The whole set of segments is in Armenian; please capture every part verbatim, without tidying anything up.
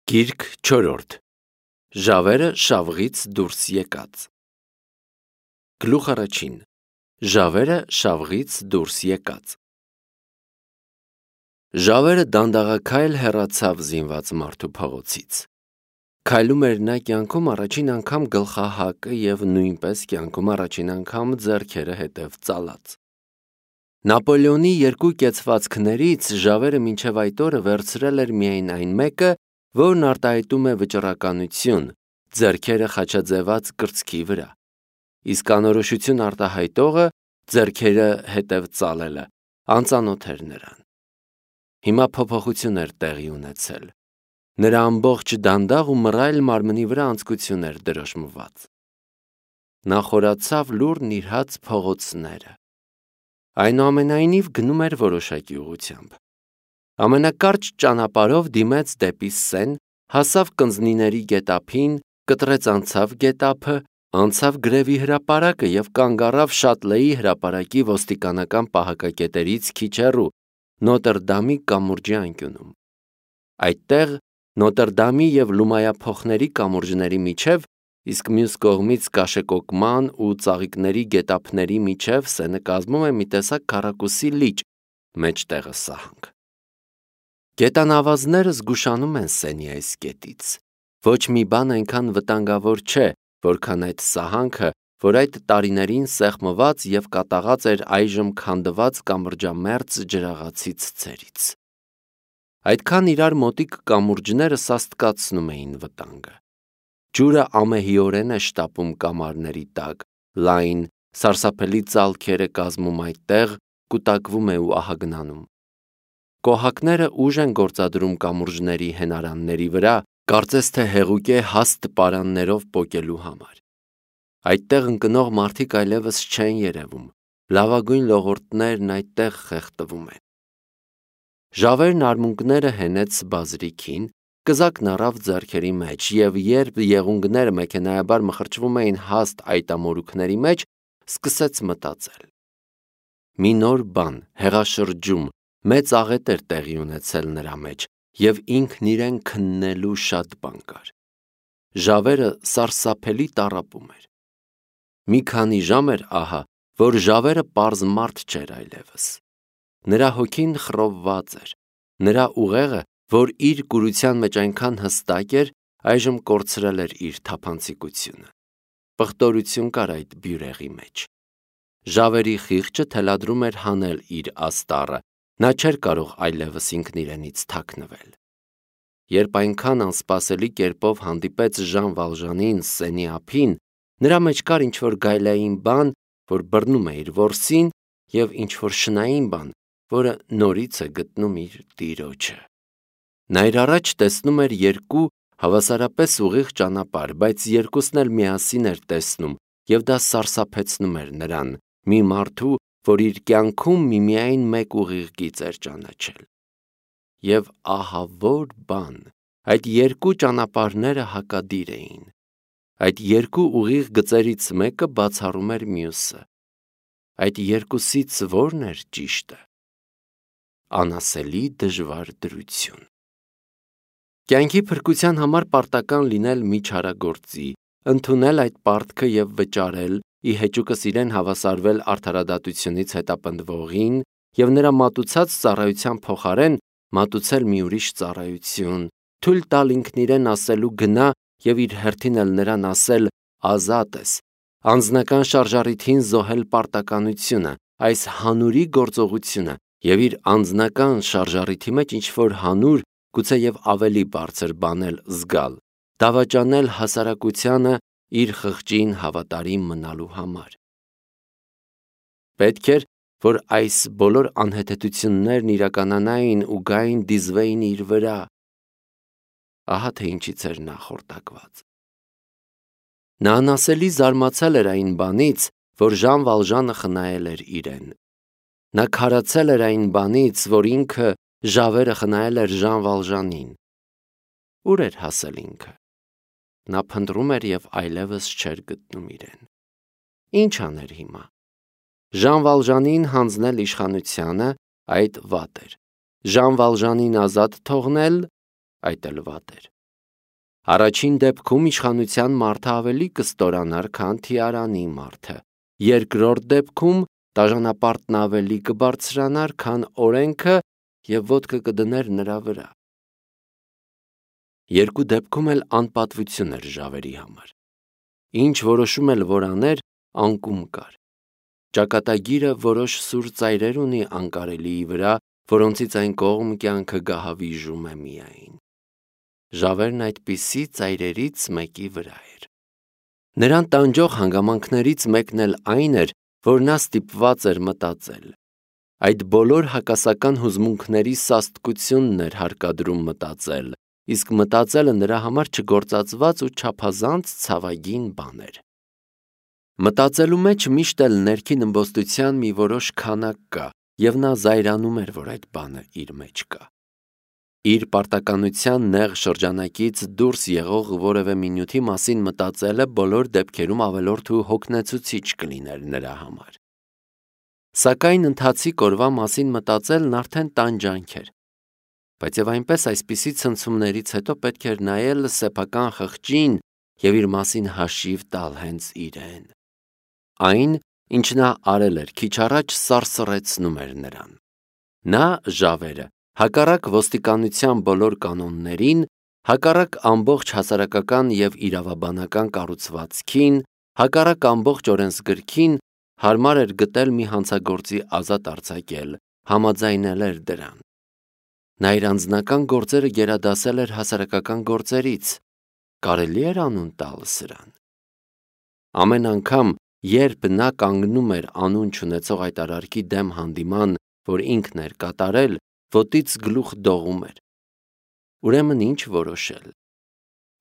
Գիրք չորրորդ Ժավերը շավղից դուրս եկած Գլուխ առաջին Ժավերը շավղից դուրս եկած Ժավերը դանդաղաքայլ հեռացավ զինված մարդու փողոցից։ Քայլում էր նա կյանքում առաջին անգամ գլխահակը և նույնպես կյանքում առաջին անգամ ձեռքերը հետև ծալած։ Նապոլեոնի երկու կեցվածքներից Ժավերը մինչև այդ օրը վերցրել էր միայն այն մեկը, որն արտահայտում է վճռականություն, ձեռքերը խաչաձևած կրծքի վրա, իսկ անորոշություն արտահայտողը ձեռքերը հետև ծալելը անծանոթ էր նրան։ Հիմա փոփոխություն էր տեղի ունեցել։ Նրա ամբողջ դանդաղ ու մռայլ մարմնի վրա անձկություն էր դրոշմված։ Նա խորացավ լուռ նիրհած փողոցները։ Այնուամենայնիվ գնում էր որոշակի ուղղությամբ։ Ամենակարճ ճանապարհով դիմեց դեպի Սեն, հասավ կնձնիների գետափին, կտրեց անցավ գետափը, անցավ գրևի հրապարակը և կանգ առավ Շատլեի հրապարակի ոստիկանական պահակակետերից քիչ հեռու, Նոտրդամի կամուրջի անկյունում։ Այդտեղ Նոտրդամի և Լումայափոխների կամուրջների միջև, իսկ մյուս կողմից կաշեկոկման ու ծաղիկների գետափների միջև Սենը կազմում է մի տեսակ քառակուսի լիճ, մեջտեղը սահանք։ Գետանավազները զգուշանում են Սենի այս կետից։ Ոչ մի բան այնքան վտանգավոր չէ, որքան այդ սահանքը, որ այդ տարիներին սեղմված և կատաղած էր այժմ քանդված կամրջամերձ ջրաղացի ցցերից։ Այդքան իրար մոտիկ կամուրջները սաստկացնում էին վտանգը։ Ջուրը ամեհիորեն է շտապում կամարների տակ, լայն, սարսափելի ծալքեր է կազմում այդտեղ, կուտակվում է ու ահագնանում։ Կոհակները ուժ են գործադրում կամուրջների հենարանների վրա, կարծես թե հեղուկ է հաստ պարաններով պոկելու համար։ Այդտեղ ընկնող մարդիկ այլևս չեն երևում, լավագույն լողորդներն այդտեղ խեղդվում են։ Ժավերն արմունկները հենեց բազրիքին, կզակն առավ ձեռքերի մեջ, և երբ եղունգները մեքենայաբար մխրճվում էին հաստ այտամորուքների մեջ, սկսեց մտածել։ Մի նոր բան, հեղաշրջում, մեծ աղետ էր տեղի ունեցել նրա մեջ, և ինքն իրեն քննելու շատ բան կար։ Ժավերը սարսափելի տառապում էր։ Մի քանի ժամ էր ահա, որ Ժավերը պարզ մարդ չէր այլևս։ Նրա հոգին խռովված էր, նրա ուղեղը, որ իր կուրության մեջ այնքան հստակ էր, այժմ կորցրել էր իր թափանցիկությունը։ Պղտորություն կար այդ բյուրեղի մեջ։ Ժավերի խիղճը թելադրում էր հանել իր աստառը, նա չէր կարող այլևս ինքն իրենից թաքնվել։ Երբ այնքան անսպասելի կերպով հանդիպեց Ժան Վալժանին Սենի ափին, նրա մեջ կար ինչ-որ գայլային բան, որ բռնում է իր որսին, և ինչ-որ շնային բան, որը նորից է գտնում իր տիրոջը։ Նա իր առաջ տեսնում էր երկու հավասարապես ուղիղ ճանապարհ, բայց երկուսն էլ միասին էր տեսնում, և դա սարսափեցնում էր նրան, մի մարդու, որ իր կյանքում միմիայն մեկ ուղիղ գիծ էր ճանաչել։ Եվ ահա որ բան, այդ երկու ճանապարհները հակադիր էին։ Այդ երկու ուղիղ գծերից մեկը բացառում էր մյուսը։ Այդ երկուսից ո՞րն էր ճիշտը։ Անասելի դժվար դրություն։ Կյանքի փրկության համար պարտական լինել մի չարագործի, ընդունել այդ պարտքը և վճարել, ի հեճուկս իրեն հավասարվել արդարադատությունից հետապնդվողին և նրա մատուցած ծառայության փոխարեն մատուցել մի ուրիշ ծառայություն, թույլ տալ ինքն իրեն ասելու գնա և իր հերթին էլ նրան ասել ազատ ես, անձնական շարժառիթին զոհել պարտականությունը, այս հանուրի գործողությունը և իր անձնական շարժառիթի մեջ ինչ-որ հանուր, գուցեև ավելի բարձր բան էլ զգալ, դավաճանել հասարակությանը իր խղճին հավատարիմ մնալու համար։ Պետք էր, որ այս բոլոր անհեթեթություններն իրականանային ու գային դիզվեին իր վրա։ Ահա թե ինչից էր նա խորտակված։ Նա անասելի զարմացել էր այն բանից, որ Ժան Վալժանը խնայել էր իրեն։ Նա քարացել էր այն բանից, որ ինքը Ժավերը խնայել էր Ժան Վալժանին։ Ուր էր հասել ինքը։ Նա փնտրում էր և այլևս չէր գտնում իրեն։ Ինչ աներ հիմա։ Ժան Վալժանին հանձնել իշխանությանը, այդ վատ էր։ Ժան Վալժանին ազատ թողնել, այդ էլ վատ էր։ Առաջին դեպքում իշխանության մարդը ավելի կստորանար, քան թիարանի մարդը։ Երկրորդ դեպքում դաժանապարտն ավելի կբարձրանար, քան օրենքը և ոտքը կդներ նրա վրա։ Երկու դեպքում էլ անպատվություն էր ժավերի համար։ Ինչ որոշում էլ որ աներ, անկում կար։ Ճակատագիրը որոշ սուր ծայրեր ունի անկարելիի վրա, որոնցից այն կողմ կյանքը գահավիժում է միայն։ Ժավերն այդպիսի ծայրերից մեկի վրա էր։ Նրան տանջող հանգամանքներից մեկն էլ այն էր, որ նա ստիպված էր մտածել։ Այդ բոլոր հակասական հուզմունքների սաստկությունն էր հարկադրում մտածել, իսկ մտածելը նրա համար չգործածված ու չափազանց ցավագին բան էր։ Մտածելու մեջ միշտ էլ ներքին ըմբոստության մի որոշ քանակ կա, և նա զայրանում էր, որ այդ բանը իր մեջ կա։ Իր պարտականության նեղ շրջանակից դուրս եղող որևէ մի նյութի մասին մտածելը բոլոր դեպքերում ավելորդ ու հոգնեցուցիչ կլիներ նրա համար։ Սակայն ընթացիկ օրվա մասին մտածելն արդեն տանջանք էր։ Բայց և այնպես այսպիսի ցնցումներից հետո պետք էր նայել սեփական խղճին և իր մասին հաշիվ տալ հենց իրեն։ Այն, ինչ նա արել էր քիչ առաջ, սարսռեցնում էր նրան։ Նա, ժավերը, հակառակ ոստիկանության բոլոր կանոններին, հակառակ ամբողջ հասարակական և իրավաբանական կառուցվածքին, հակառակ ամբողջ օրենսգրքին, հարմար էր գտել մի հանցագործի ազատ արձակել, համաձայնել էր դրան։ Նա իր անձնական գործերը գերադասել էր հասարակական գործերից, կարելի էր անուն տալ սրան։ Ամեն անգամ, երբ նա կանգնում էր անուն չունեցող այդ արարքի դեմ հանդիման, որ ինքն էր կատարել, ոտից գլուխ դողում էր։ Ուրեմն ինչ որոշել։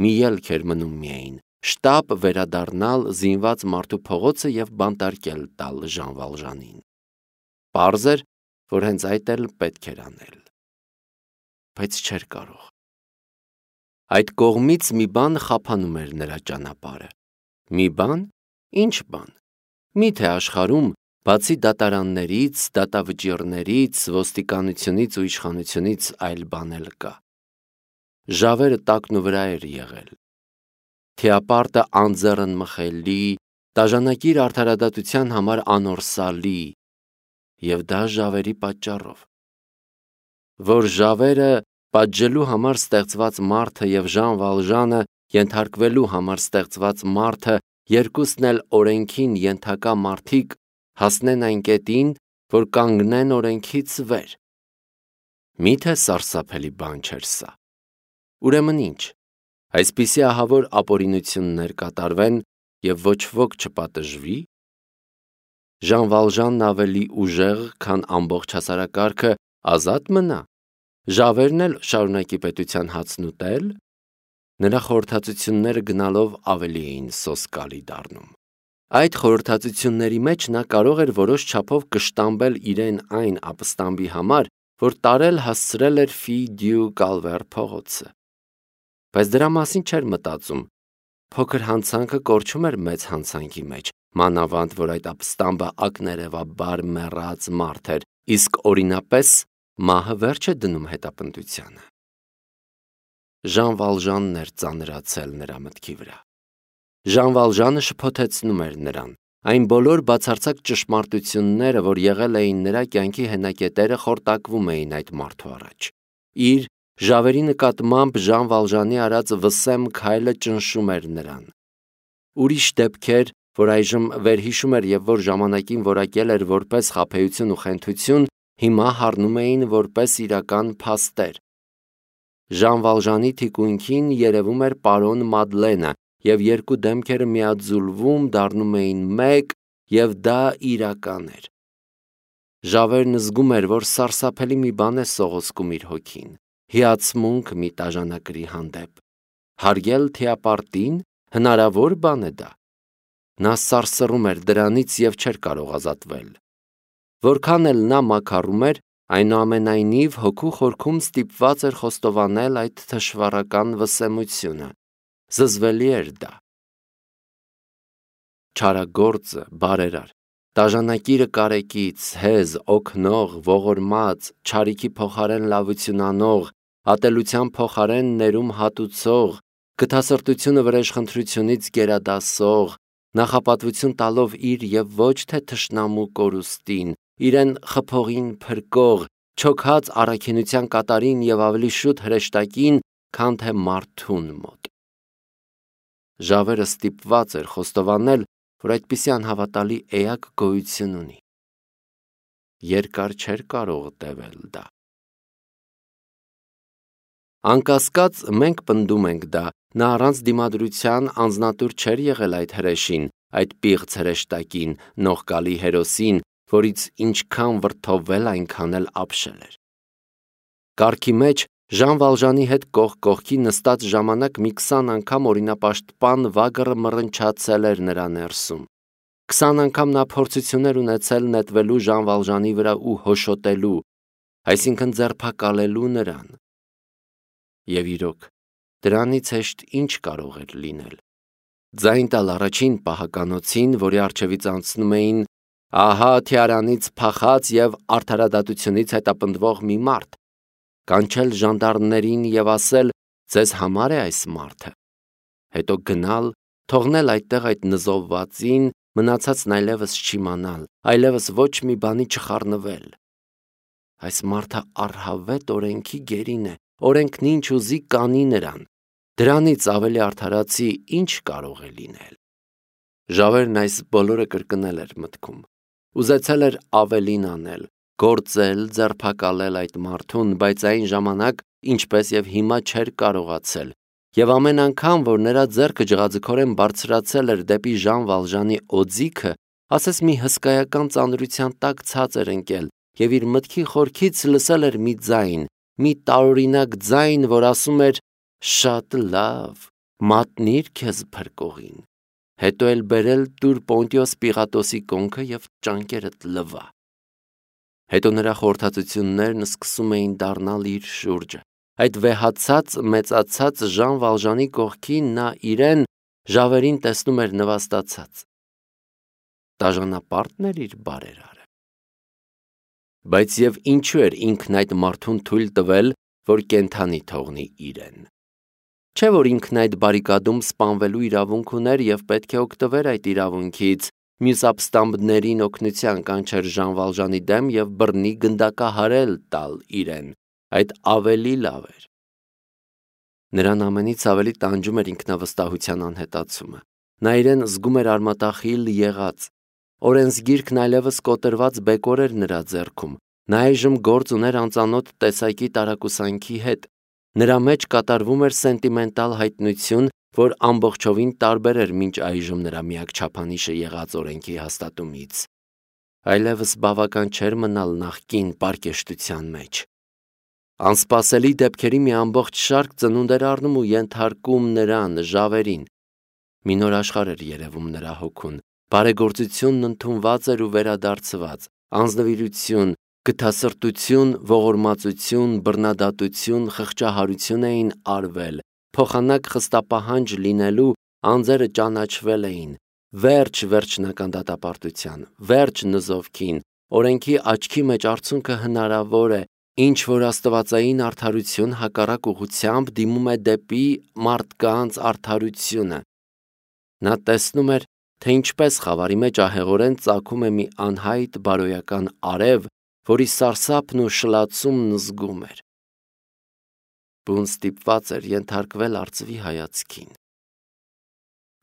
Մի ելք էր մնում միայն՝ շտապ վերադառնալ զինված մարդու փողոցը և բանտարկել տալ Ժան Վալժանին։ Պարզ էր, որ հենց այդ էլ պետք էր անել։ Բայց չէր կարող։ Այդ կողմից մի բան խափանում էր նրա ճանապարհը։ Մի բան։ Ինչ բան։ Մի՞թե աշխարհում, բացի դատարաններից, դատավճիռներից, ոստիկանությունից ու իշխանությունից այլ բան էլ կա։ Ժավերը տակնուվրա էր եղել։ Թիապարտը անձեռն մխելի, դաժանակիր արդարադատության համար անորսալի, և դա ժավերի պատճառով։ Որ ժավերը պատժելու համար ստեղծված մարդը և Ժան Վալժանը ենթարկվելու համար ստեղծված մարդը երկուսն էլ օրենքին ենթակա մարդիկ հասնեն այն կետին, որ կանգնեն օրենքից վեր։ Մի՞թե սարսափելի բան չէր սա։ Ուրեմն ինչ, այսպիսի ահավոր ապօրինություններ կատարվեն և ոչ ոք չպատժվի։ Ժան Վալժանն ավելի ուժեղ, քան ամբողջ հասարակարգը, ազատ մնա։ Ժավերն էլ շարունակի պետության հացն ուտել։ Նրա խորհրդածությունները գնալով ավելի էին սոսկալի դառնում։ Այդ խորհրդածությունների մեջ նա կարող էր որոշ չափով կշտամբել իրեն այն ապստամբի համար, որ տարել հասցրել էր Ֆի դյու Կալվեր փողոցը։ Բայց դրա մասին չէր մտածում։ Փոքր հանցանքը կորչում էր մեծ հանցանքի մեջ, մանավանդ որ այդ ապստամբը ակներևաբար մեռած մարդ էր, իսկ օրինապես մահը վերջ է դնում հետապնդությանը։ Ժան Վալժանն էր ծանրացել նրա մտքի վրա։ Ժան Վալժանը շփոթեցնում էր նրան։ Այն բոլոր բացարձակ ճշմարտությունները, որ եղել էին նրա կյանքի հենակետերը, խորտակվում էին այդ մարդու առաջ։ Իր ժավերի նկատմամբ Ժան Վալժանի արած վսեմ քայլը ճնշում էր նրան։ Ուրիշ դեպքեր, որ այժմ վերհիշում էր և որ ժամանակին որակել էր որպես խաբեություն ու խենթություն, հիմա հառնում էին որպես իրական փաստեր։ Ժան Վալժանի թիկունքին երևում էր պարոն Մադլենը, և երկու դեմքերը միաձուլվում դառնում էին մեկ, և դա իրական էր։ Ժավերն զգում էր, որ սարսափելի մի բան է սողոսկում իր հոգին, հիացմունք մի տաժանակրի հանդեպ։ Հարգել թիապարտին, հնարավոր բան է դա։ Նա սարսռում էր դրանից և չէր կարող ազատվել։ Որքան էլ նա մաքառում էր, այնուամենայնիվ հոգու խորքում ստիպված էր խոստովանել այդ թշվառական վսեմությունը։ Զզվելի էր դա։ Չարագործը, բարերար, դաժանակիրը կարեկից, հեզ, օգնող, ողորմած, չարիքի փոխարեն լավություն անող, ատելության փոխարեն ներում հատուցող, գթասրտությունը վրեժխնդրությունից գերադասող, նախապատվություն տալով իր և ոչ թե թշնամու կորուստին, իրեն խփողին փրկող, չոքած առաքինության կատարին և ավելի շուտ հրեշտակին, քան թե մարդուն մոտ։ Ժավերը ստիպված էր խոստովանել, որ այդպիսի անհավատալի էակ գոյություն ունի։ Երկար չէր կարող տևել դա։ Անկասկած մենք պնդում ենք դա, նա առանց դիմադրության անձնատուր չէր եղել այդ հրեշին, այդ պիղծ հրեշտակին, նողկալի հերոսին, որից ինչքան վրդովվել, այնքան էլ ապշել էր։ Կառքի մեջ Ժան Վալժանի հետ կողք կողքի նստած ժամանակ մի քսան անգամ օրինապաշտպան վագրը մռնչացել էր նրա ներսում։ Քսան անգամ նա փորձություններ ունեցել նետվելու Ժան Վալժանի վրա ու հոշոտելու, այսինքն ձերբակալելու նրան։ Եվ իրոք, դրանից հեշտ ինչ կարող էր լինել։ Ձայն տալ առաջին պահականոցին, որի առջևից անցնում էին ահա թիարանից փախած և արդարադատությունից հետապնդվող մի մարդ, կանչել ժանդարմներին և ասել. «Ձեզ համար է այս մարդը», հետո գնալ, թողնել այդտեղ այդ նզովվածին, մնացածն այլևս չիմանալ, այլևս ոչ մի բանի չխառնվել։ Այս մարդը առհավետ օրենքի գերին է, օրենքն ինչ ուզի կանի նրան, դրանից ավելի արդարացի ինչ կարող է լինել։ Ժավերն այս բոլորը կրկնել էր մտքում, ուզեցել էր ավելին անել, գործել, ձերբակալել այդ մարդուն, բայց այն ժամանակ, ինչպես և հիմա չէր կարողացել, և ամեն անգամ, որ նրա ձեռքը ջղաձգորեն բարձրացել էր դեպի Ժան Վալժանի օձիքը, ասես մի հսկայական ծանրության տակ ցած էր ընկել, և իր մտքի խորքից լսել էր մի ձայն, մի տարօրինակ ձայն, որ ասում էր. «Շատ լավ, մատնիր քեզ փրկողին, հետո էլ բերել տուր Պոնտիոս Պիղատոսի կոնքը և ճանկերդ լվա»։ Հետո նրա խորհրդածություններն սկսում էին դառնալ իր շուրջը, այդ վեհացած, մեծացած Ժան Վալժանի կողքին նա իրեն, Ժավերին տեսնում էր նվաստացած։ Դաժանապա՞րտն էր իր բարերարը։ Բայց և ինչու էր ինքն այդ մարդուն թույլ տվել, որ կենդանի թողնի իրեն։ Չէ՞ որ ինքն այդ բարիկադում սպանվելու իրավունք ուներ և պետք է օգտվեր այդ իրավունքից, մյուս ապստամբներին օգնության կանչեր Ժան Վալժանի դեմ և բռնի գնդակահարել տալ իրեն, այդ ավելի լավ էր։ Նրան ամենից ավելի տանջում էր ինքնավստահության անհետացումը։ Նա իրեն զգում էր արմատախիլ եղած։ Օրենսգիրքն այլևս կոտրված բեկոր էր նրա ձեռքում։ Նա այժմ գործ ուներ անծանոթ տեսակի տարակուսանքի հետ։ Նրա մեջ կատարվում էր սենտիմենտալ հայտնություն, որ ամբողջովին տարբեր էր մինչ այժմ նրա միակ չափանիշը եղած օրենքի հաստատումից։ Այլևս բավական չէր մնալ նախկին պարկեշտության մեջ։ Անսպասելի դեպքերի մի ամբողջ շարք ծնունդ էր առնում ու ենթարկում նրան, Ժավերին։ Մի նոր աշխարհ էր երևում նրա հոգուն, բարեգործությունն ընդունված էր ու վերադարձված, անձնվիրություն, գթասրտություն, ողորմածություն, բռնադատություն, խղճահարություն էին արվել, փոխանակ խստապահանջ լինելու անձերը ճանաչվել էին, վերջ վերջնական դատապարտության, վերջ նզովքին, օրենքի աչքի մեջ արցունքը հնարավոր է, ինչ որ աստվածային արդարություն հակառակ ուղղությամբ դիմում է դեպի մարդկանց արդարությունը։ Նա տեսնում էր, թե ինչպես խավարի մեջ ահեղորեն ծագում է մի անհայտ բարոյական արև, որի սարսափն ու շլացումն զգում էր։ Բուն ստիպված էր ենթարկվել արծվի հայացքին։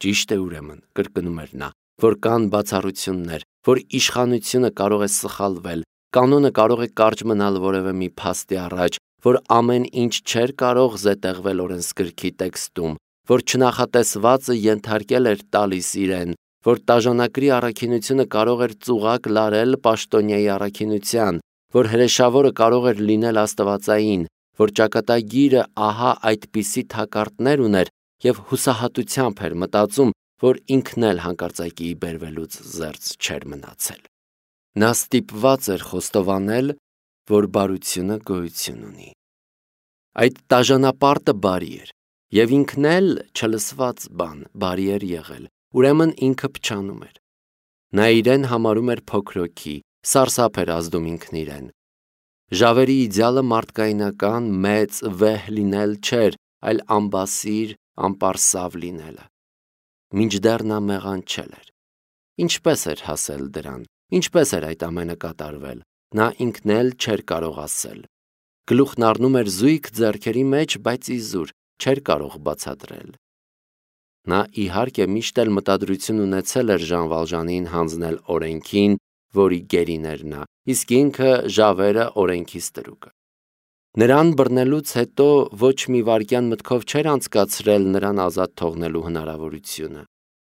Ճիշտ է ուրեմն, կրկնում էր նա, որ կան բացառություններ, որ իշխանությունը կարող է սխալվել, կանոնը կարող է կարճ մնալ որևէ մի փաստի առաջ, որ ամեն ինչ չէր կարող զետեղվել օրենսգրքի տեքստում, որ չնախատեսվածը ենթարկել էր տալիս իրեն, որ տաժանակրի առաքինությունը կարող էր ծուղակ լարել պաշտոնյայի առաքինության, որ հրեշավորը կարող էր լինել աստվածային, որ ճակատագիրը ահա այդպիսի թակարդներ ուներ և հուսահատությամբ էր մտածում, որ ինքն էլ հանկարծակիի բերվելուց զերծ չէր մնացել։ Նա ստիպված էր խոստովանել, որ բարությունը գոյություն ունի։ Այդ տաժանապարտը բարի էր, և ինքն էլ չլսված բան բարի էր եղել, ուրեմն ինքը փչանում էր։ Նա իրեն համարում էր փոքրոքի, սարսափ էր ազդում ինքն իրեն։ Ժավերի իդեալը մարդկայնական, մեծ, վեհ լինել չէր, այլ ամբասիր, անպարսավ լինելը։ Մինչդեռ նա մեղանչել էր։ Ինչպես էր հասել դրան, ինչպես էր այդ ամենը կատարվել, նա ինքն էլ չէր կարող ասել։ Գլուխն առնում էր զույգ ձեռքերի մեջ, բայց իզուր չէր կարող բացատրել։ Նա իհարկե միշտ էլ մտադրություն ունեցել էր Ժան Վալժանին հանձնել օրենքին, որի գերին էր նա, իսկ ինքը Ժավերը օրենքի ստրուկը։ Նրան բռնելուց հետո ոչ մի վայրկյան մտքով չէր անցկացրել նրան ազատ թողնելու հնարավորությունը։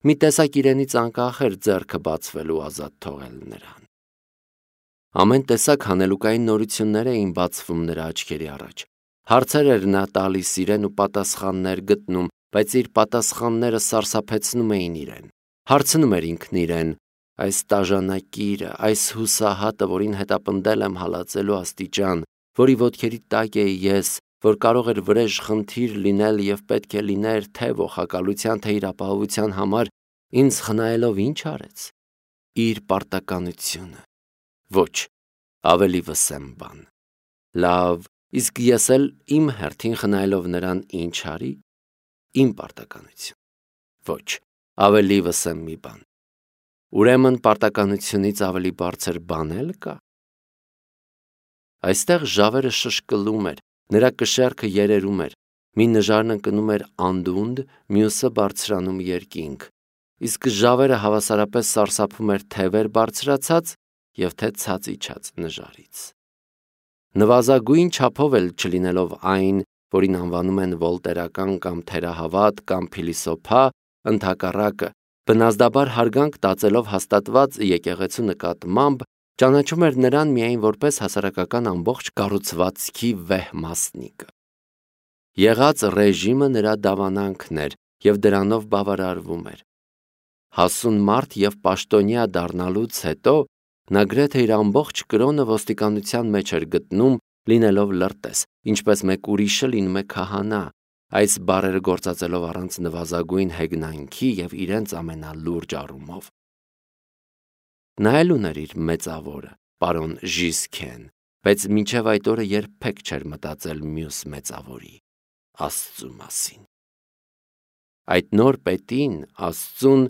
Մի տեսակ իրենից անկախ էր ձեռքը բացվելու ազատ թողել նրան։ Ամեն տեսակ հանելուկային նորություններ էին բացվում նրա աչքերի առաջ։ Հարցեր էր նա տալիս իրեն ու պատասխաններ գտնում, բայց իր պատասխանները սարսափեցնում էին իրեն։ Հարցնում էր ինքն իրեն. այս տաժանակիրը, այս հուսահատը, որին հետապնդել եմ հալածելու աստիճան, որի ոտքերի տակ էի ես, որ կարող էր վրեժ խնդիր լինել և պետք է լիներ թե ողակալության, թե իր ապահովության համար, ինձ խնայելով ինչ արեց։ Իր պարտականությունը։ Ոչ, ավելի վսեմ բան։ Լավ, իսկ ես էլ իմ հերթին խնայելով նրան ինչ արի։ Իմ պարտականություն։ Ոչ, ավելի վսեմ մի բան։ Ուրեմն պարտականությունից ավելի բարձր բան էլ կա։ Այստեղ Ժավերը շշկլում էր, նրա կշեռքը երերում էր, մի նժարն ընկնում էր անդունդ, մյուսը բարձրանում երկինք, իսկ Ժավերը հավասարապես սարսափում էր թե վեր բարձրացած և թե ցած իջած նժարից։ Նվազագույն չափով էլ չլինելով այն, որին անվանում են վոլտերական կամ թերահավատ կամ փիլիսոփա, ընդհակառակը, բնազդաբար հարգանք տածելով հաստատված եկեղեցու նկատմամբ, ճանաչում էր նրան միայն որպես հասարակական ամբողջ կառուցվածքի վեհ մասնիկը։ Եղած ռեժիմը նրա դավանանքն էր և դրանով բավարարվում էր։ Հասուն մարդ և պաշտոնյա դառնալուց հետո նա գրեթե իր ամբողջ կրոնը ոստիկանության մեջ էր գտնում, լինելով լրտես, ինչպես մեկ ուրիշը լինում է քահանա, այս բառերը գործածելով առանց նվազագույն հեգնանքի և իրենց ամենալուրջ առումով։ Նա էլ ուներ իր մեծավորը, պարոն Ժիսքեն, բայց մինչև այդ օրը երբեք չէր մտածել մյուս մեծավորի՝ Աստծու մասին։ Այդ նոր պետին, Աստծուն,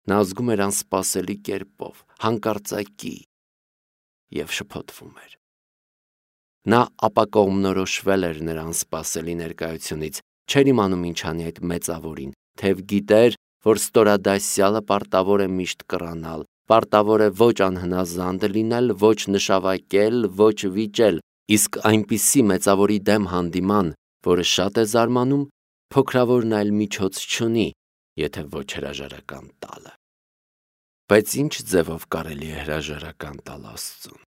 նա զգում էր անսպասելի կերպով, հանկարծակի, և շփոթվում էր։ Նա ապակողմնորոշվել էր նրա անսպասելի ներկայությունից, չէր իմանում ինչ անի այդ մեծավորին, թեև գիտեր, որ ստորադասյալը պարտավոր է միշտ կռանալ, պարտավոր է ոչ անհնազանդ լինել, ոչ նշավակել, ոչ վիճել, իսկ այնպիսի մեծավորի դեմ հանդիման, որը շատ է զարմանում, փոքրավորն այլ միջոց չունի, եթե ոչ հրաժարական տալը։ Բայց ինչ ձևով կարելի է հրաժարական տալ Աստծուն։